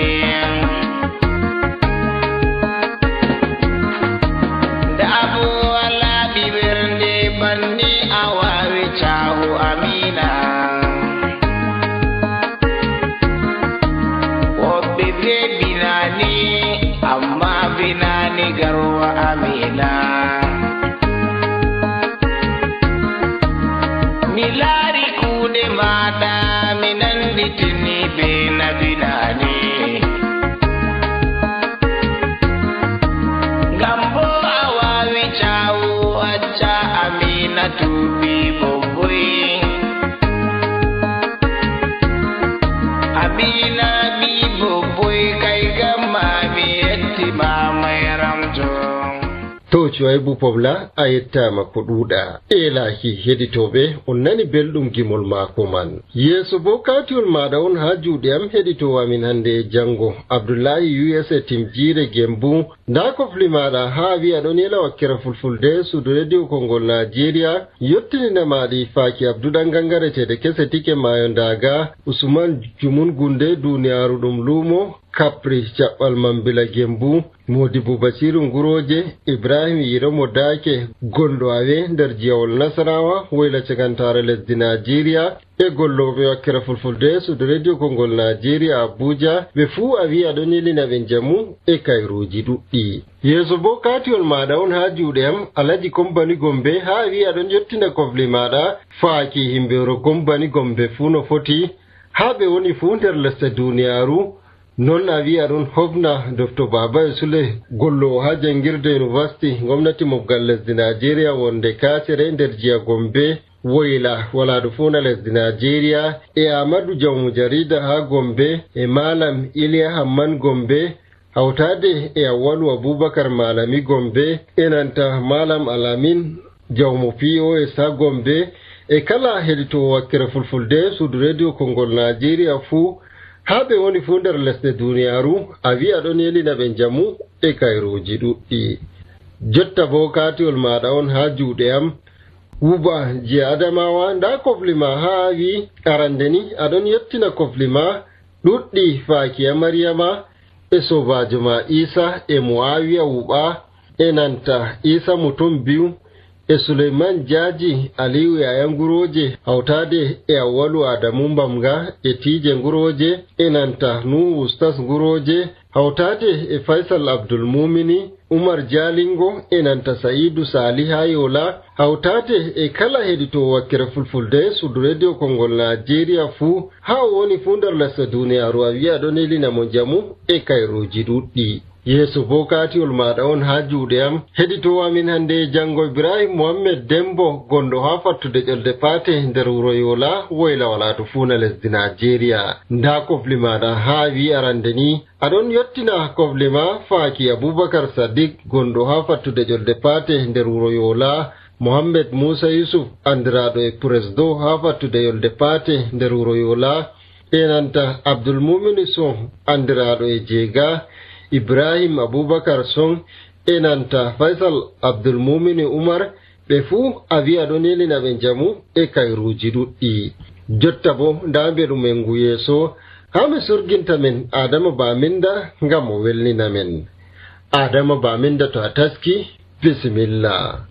Da abu ala biberne banni awawi chahu Amina Wobbe binani amma binani garwa Amina Milari kude mada minandi tini bena binani Gambo awawi chawu aja Amina tubi boboy Amina bi boboy kai gamma mi etti ma Mairam jo To Shuaibu Pobla a yettama ko ɗuuɗa elahi heɗitoɓe on nani belɗum gimol maako man yeeso bo katiol maɗa on ha juuɗe am heɗitowo amin hande e janngo Abdoulahi U S A Timjire Gembu nda kofli maɗa ha wi'a ɗon yela wakkere fulfulde suudu radio kongol Nigeria yottinina maɗi faaki Abdouɗan gangaretede kese tike mayo ndaga Usman Jumun Gunde duniyaru ɗum luumo Kapri Jaɓɓal Mambila Gembu Modibo Basiru Nguroje Ibrahim Yiromo Dake Gondo Awe nder Jiyawol Nasarawa woyla cagantare lesdi Nigeria e golloɓe wakkere fulfulde suudu radio kongol Nigeria Abuja ɓe fuu a wi aɗon yelina ɓe jamu e kayruji ɗuɗɗi yeeso bo katiol maɗa on ha juuɗe am Alaji Kombani Gombe ha wi aɗon yettina kofli maɗa faaki himɓewro Kombani Gombe fuu no foti ha ɓe woni fuu nder lesde duniyaru non a wi aɗon hofna Docteur Baba Sule gollowo ha jangirde university gomnati mobgal lesdi Nigeria wonde Kasere nder jiya Gombe woyla walaadu fuuna lesdi Nigeria e Amadou Jawmu jarida ha Gombe e Malam Iliya Hamman Gombe hawtade e Awwalu Abubakar Malami Gombe enanta Malam Alamin Jawmu P O S ha Gombe e kala hedito wakkere fulfulde suudu radio Kongol Nigeria fu habe woni fu nder lesde duniyaru a wi'a ɗon yelina ɓe jamu e kayruji ɗuɗɗi. Jotta bo katiol maɗa on ha juuɗe am Wuba je Adamawa nda koflima ha wi arande ni aɗon yettina koflima ɗuɗɗi faaki Maryama e sobajo ma Isa e Muawiya Wuba e nanta Isa mutum biyu e Suleiman Jaji Aliyu yayan Guroje hawtade e Awwalu Adamu Mbamga e Tije Guroje e nanta Nuhu Ustas Guroje hawtade e Faisal Abdul Mumini Umar Jalingo e nanta Saidu Saliha Yola hawtade e kala hedito wakkere fulfulde suudu radio Kongol Nigeria fu ha woni fu nder lesde duniyaru a wi'a ɗon elina mo jamu e kayruji ɗuɗɗi. Yesu bo katiol maɗa on ha juuɗe am hedito amin hande jango Ibrahim Mohammed Dembo gondo ha fattude ƴolde pate nder wuro Yola woyla walaatu fuuna lesdi Nigeria. Nda kofli maɗa ha wi arande ni aɗon yottina koflima faaki Abubakar Sadiq gondo ha fattude ƴolde pate nder wuro Yola, Mohammed Musa Yusuf andiraɗo e Presdo ha fattude ƴolde pate nder wuro Yola enanta Abdul Mumin Son andiraɗo e Jega, Ibrahim Abubakar Son enanta Faisal Abdul Mumin Umar ɓe fuu a wi'a ɗon yelina ɓe jamu e kayruji ɗuɗɗi. Jotta bo nda mbeɗum en ngu yeeso ha mi surginta men Adama Baminda ngam o welnina men. Adama Baminda to a taski, bisimillah.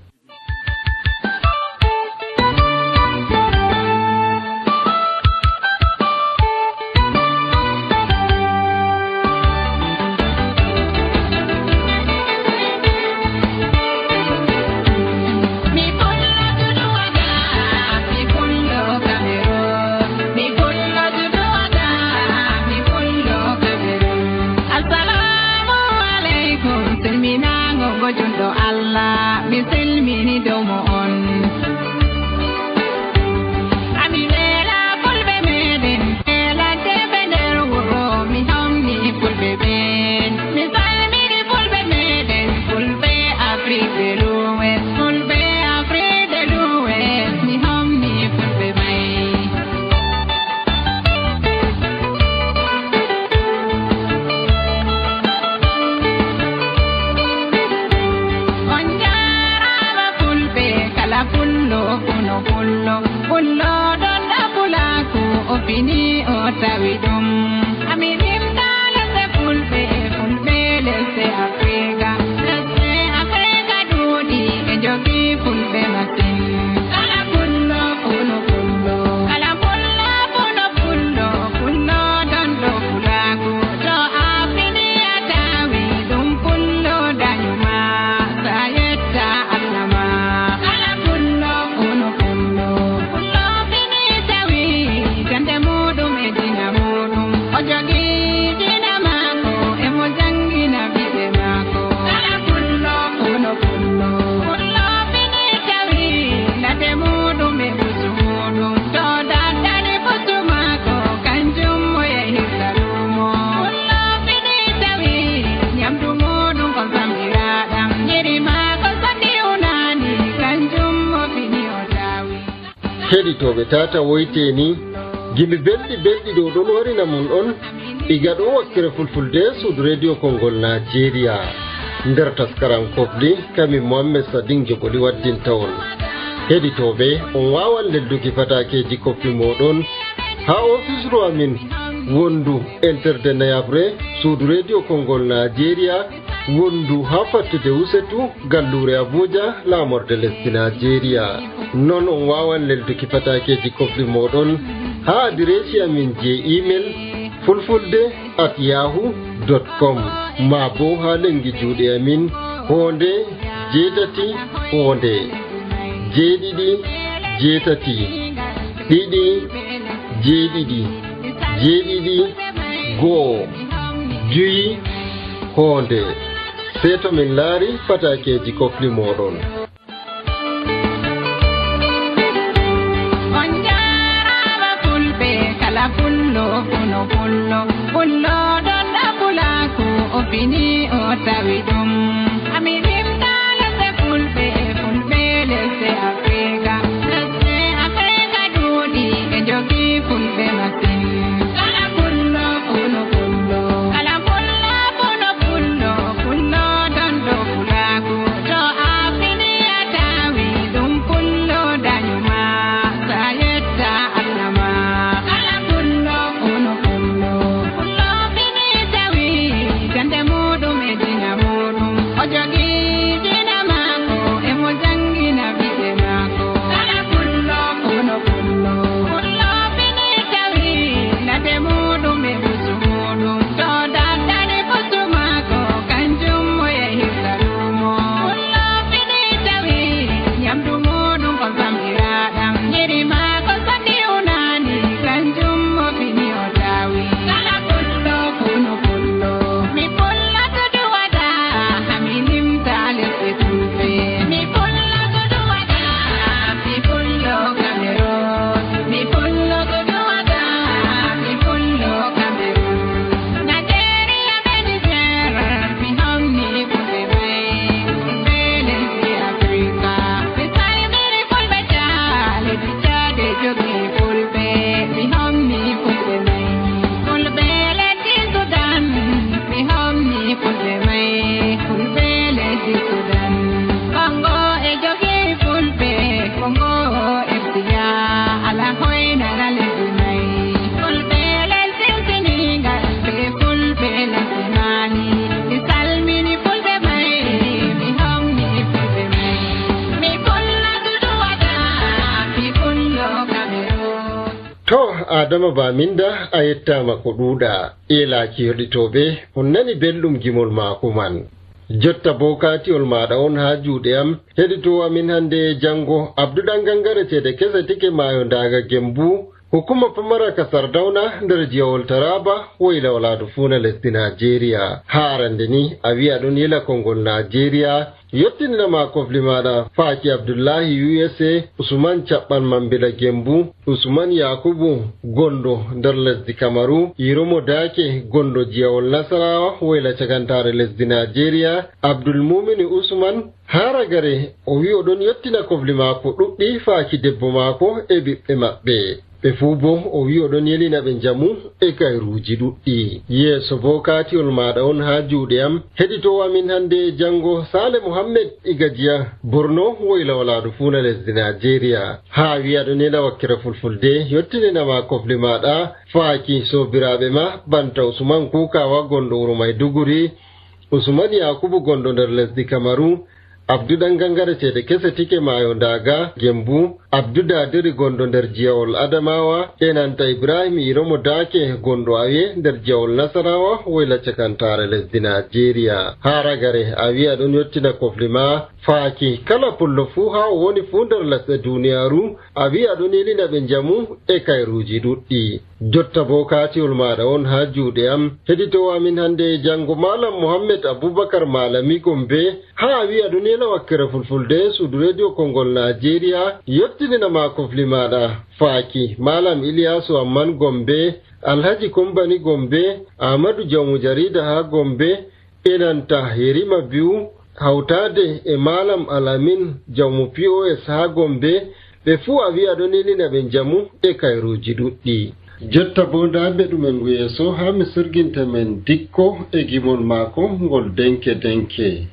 Heɗitoɓe tata woyteni gimi belɗi belɗi ɗo ɗon warina mun on iga ɗo wakkere fulfulde suudu radio Kongol Nigeria nder taskaran kofli kami Mohammed Sadin Jogoli waddinta on. Heɗitoɓe on wawan lelduki fatakeji kofli moɗon ha ofisru amin wondu enterde nayabre suudu radio Kongol Nigeria wondu ha fattude Wusetu gallure Abuja lamorde lesdi Nigeria. Non on wawan lelduki fatakeji kofli moɗon ha adiresi amin je email fulfulde at yahoo dot com ma bo ha lengi juuɗe amin honde jeetati honde jeeɗiɗi jeetati ɗiɗi jeeɗiɗi jeeɗiɗi goo juyi honde. Seto min laari fatakeji kofli moɗon. pullo pullo pullo don da pulaku o fini o tawi dum amirim dala se fulbe fulbe lese Afrika lese Afrika dudi e jogi fulbe masin kala pullo pullo pullo kala pullo pullo pullo pullo don do pulaku to afini atawi dum pullo danyuma sayetta alama kala pullo pullo pullo pullo fini tawi jande mudum e dina mudum o jogi dina mako e mo jangina bide mako kala pullo pullo pullo pullo fini tawi lade mudum e busu mudum to daddani busu mako kanjum mo e hirsalumo pullo fini tawi nyamdu mudum ko samiraɗam nyiri mako sandi unani kanjum mo fini o tawi kala pullo pullo pullo mi pullo tudu wada haminim talese fulbe mi pullo tudu wada mi pullo Cameroon mi pullo tudu wada mi pullo Cameroon Nigeria be Niger mi homni fulbe bay fulbe lesi Afrika mi salmiri fulbe jale di jade jogi fulbe mi homni fulbe may fulbe lesi Sudan mi homni fulbe may fulbe lesi Sudan Congo e jogi fulbe Congo e biya ala hoina na lesi may fulbe lesi Senegal be fulbe lesi Mali mi salmini fulbe may mi homni fulbe may mi pullo tudu wada mi pullo Cameroon. To Adama Baminda a yettama ko ɗuuɗa eelaki heɗitoɓe on nani belɗum gimol maako man jotta bo katiol maɗa on ha juuɗe am heɗito amin hande jango Abduɗan Gangare ceede kese tike maayo ndaga Gembu hukuma pamara ka Sardauna nder jiyawol Taraba woyla walaadu fuuna lesdi Nigeria ha arande ni a wi aɗon yela kongol Nigeria yottinama kofli maɗa faaki Abdullahi U S A Usman Caɓɓan Mambila Gembu Usman Yakubu gondo nder lesdi Kamaru Iromo Dake gondo jiyawol Nasarawa woyla cagantare lesdi Nigeria Abdul Mumini Usman haragare o wi oɗon yottina kofli maako ɗuɗɗi faaki debbo maako e ɓiɓɓe maɓɓe ɓe fuu bo o wi oɗon yelina ɓe njamu e kayruuji ɗuɗɗi yeeso bo kaatiol maɗa on ha juuɗe am heɗitowo amin hande jango Sale Muhammed Igajiya Borno woyla walaadu fuuna lesdi Nigeria ha wi aɗon yela wakkere fulfulde yottininama kofli maɗa faaki sobiraɓe ma banta Usman Kukawa gondo wuro Maiduguri Usman Yakubu gondo nder lesdi Kamaru Abduɗan Gangare ceede kese tike maayo ndaga Gembu Abdudadiri gondo nder jiyawol Adamawa enanta Ibrahim Iromo Dake gondo awiye nder jiyawol Nasarawa woyla cakantare lesdi Nigeria haragare a wi aɗon yottina kofli ma faaki kala pullo fuu ha o woni fuu nder lesɗe duniyaru a wi aɗon yelina ɓe njamu e kayruuji ɗuɗɗi jotta bo kaatiwol maɗa on ha juuɗe am heɗitowo amin hande jango Malam Mohammed Abubakar Malami Gombe ha a wi aɗon yela wakkere fulfulde suudu radio kongol Nigeria yottininama kofli maɗa faaki Malam Iliyasu Amman Gombe Alhaji Kombani Gombe Ahmadu Jamu Jarida ha Gombe enanta Yerima Biu hawtade e Malam Alamin Jamu P O S ha Gombe ɓe fuu a wi aɗon yelina ɓe njamu e kayruuji ɗuɗɗi jotta bo nda mbeɗumen yeeso ha mi sirginta men dikko e gimol maako ngol denke denke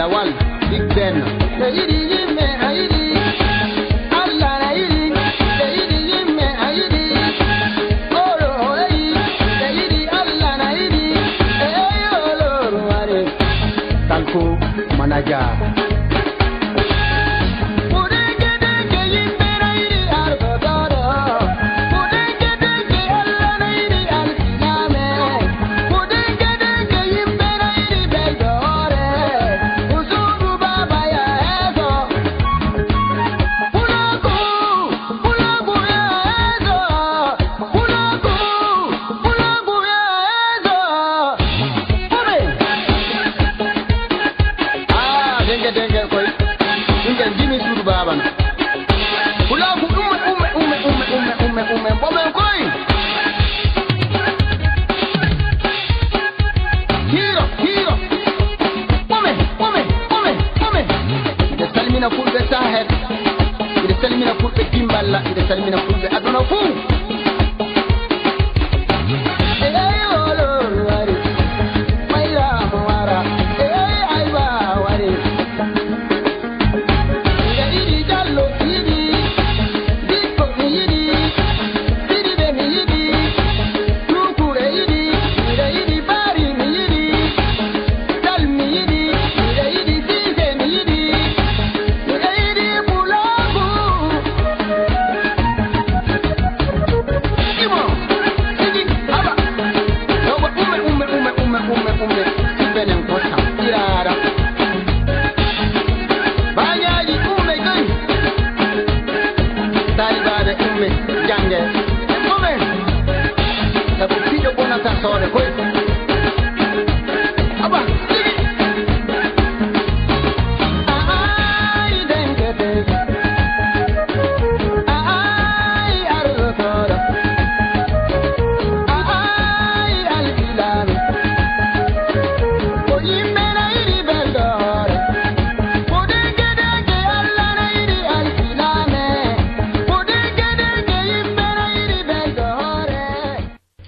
Lawal Big Ben na yidi yimme ayidi Allah na yidi na yidi yimme ayidi oro hoyi na yidi Allah na yidi eh olo ware Talko manaja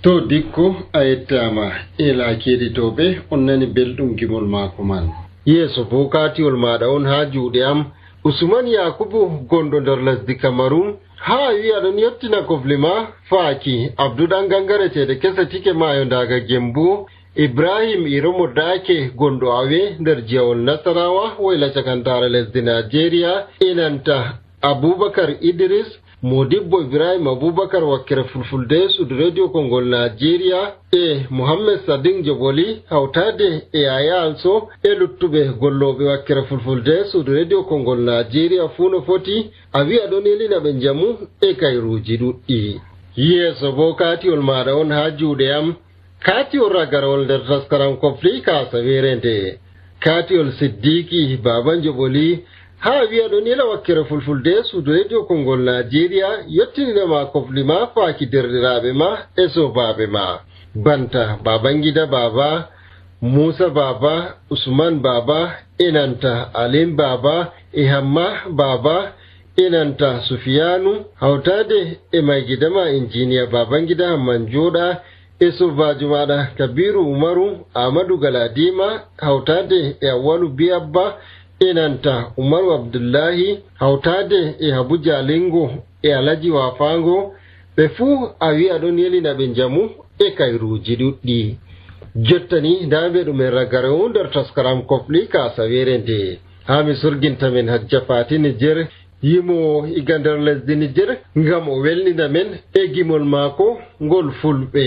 to dikko a yettama ela keɗitoɓe on nani belɗum gimol maako man yeeso bo katiwol maɗa on ha juuɗe am Usman Yakubu gondo nder lesdi Cameroon ha wi'a ɗon yettina kofli ma faaki Abduɗan gangare ceede kese tike mayo ndaga Gembu Ibrahim Iromo Dake gondo awe nder jiyawol Nasarawa woyla cakantare lesdi Nigeria inanta Abubakar Idris Modibbo Ibrahim Abubakar wakkere fulfulde sudu radio Kongol Nigeria e Muhammad Sadin Joboli hawtade e Yaya Also e luttube gollobe wakkere fulfulde sudu radio Kongol Nigeria funo foti a wi'a ɗon elina ɓe jamu e kayruji ɗuɗɗi yeeso bo katiwol maɗa on ha juuɗe am katiwol ragarol nder taskaram kofli kasa werende katiwol Siddiki Baban Joboli ha wi'a ɗon ila wakkere fulfulde sudu radio Kongol Nigeria yettinima kofli ma faaki derɗiraɓe ma e sobaɓe ma banta Babangida Baba Musa Baba Usman Baba enanta Alim Baba e Hamma Baba enanta Sufiyanu hawtade e mai gidama injiniya Babangida Hamman Joɗa e sobajo maɗa Kabiru Umaru Ahmadu Galadima hawtade e Awalu Biyabba enanta Umaru Abdullahi hawtade e Habu Jalingo e Alaji Wafango ɓe fuu a wi'a ɗon yelina ɓe jamu e kayruji ɗuɗɗi jottani ndaɓe ɗum e ragare o nder taskaram kofli kasa were nde ha mi surginta men Hajja Fati Nijer yimo iga nder lesdi Nijer ngam o welnina men e gimol maako ngol fulɓe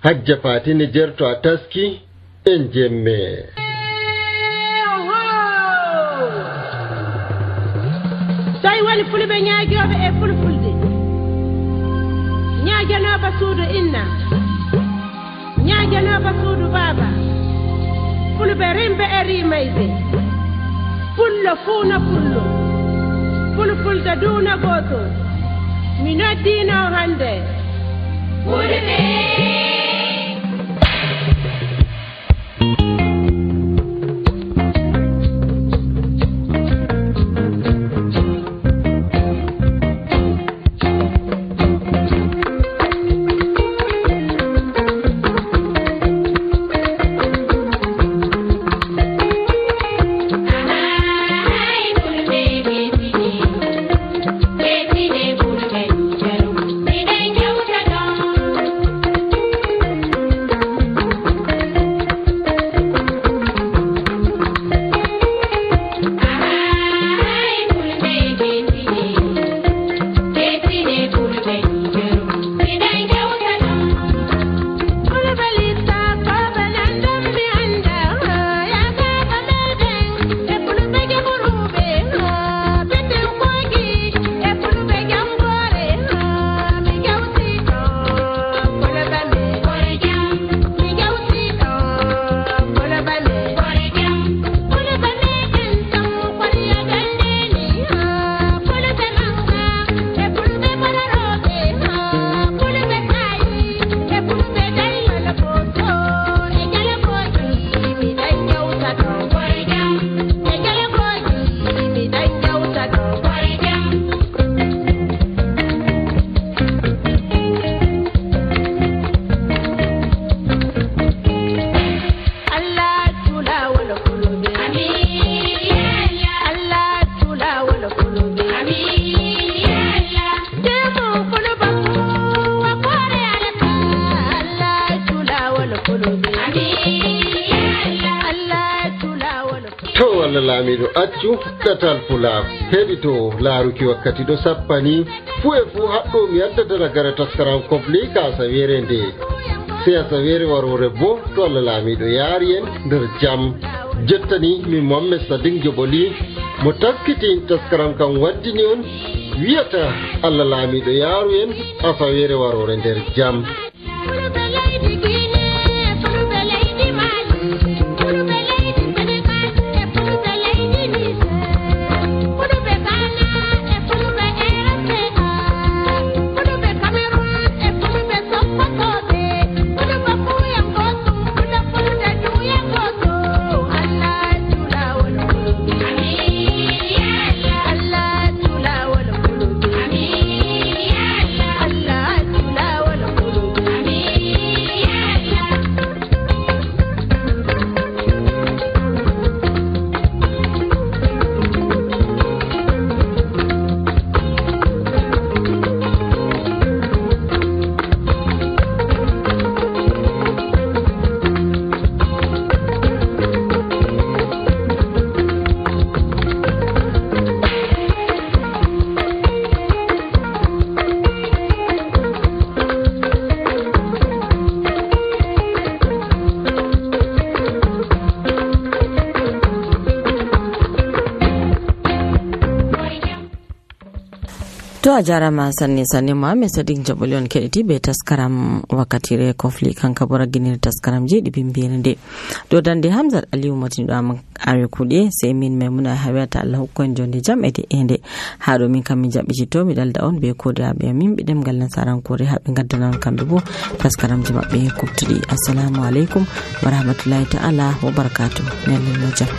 Hajja Fati Nijer to a taski en jemme tawi woni fulɓe ñaagoɓe e fulfulde ñaaganoɓe suudu inna ñaaganoɓe suudu baaba fulɓe rimɓe e rimayde pullo fuuna pullo fulfulde duuna gooto mi noddino hannde fulɓe Allah laamiɗo accu ɗatal pulaar heɗito laaruki wakkati ɗo sappani fuu e fuu haɗɗo mi addata ragare taskaram kofli ka asawere nde sey asawere warore bo to Allah laamiɗo yaari en nder jam. Jottani min Mohammed Sadiq Joboli mo taskiti taskaram kam waddini on wiyata Allah laamiɗo yaaru en asawere warore nder jam. To a jarama sanne sanne Mohammed Sadiq Jaboli on keɗiti be taskaram wakkatire kofli kanka bora ginir taskaram je ɗiɓi mbiyende do dande Hamzat Aliyu motinɗo am are kuɗe sey min Maimuna hawata Allah hokkon jonde jam ede ende ha ɗo min kam mi jaɓɓitito mi dalda on be kodiraɓe amin ɓe ɗemgal nasarankore haɓe gaddanan kamɓe bo taskaramji maɓɓe kubtuɗi. Assalamu aleykum wa rahmatullahi ta'ala wa barakatuh. Nellel no jam.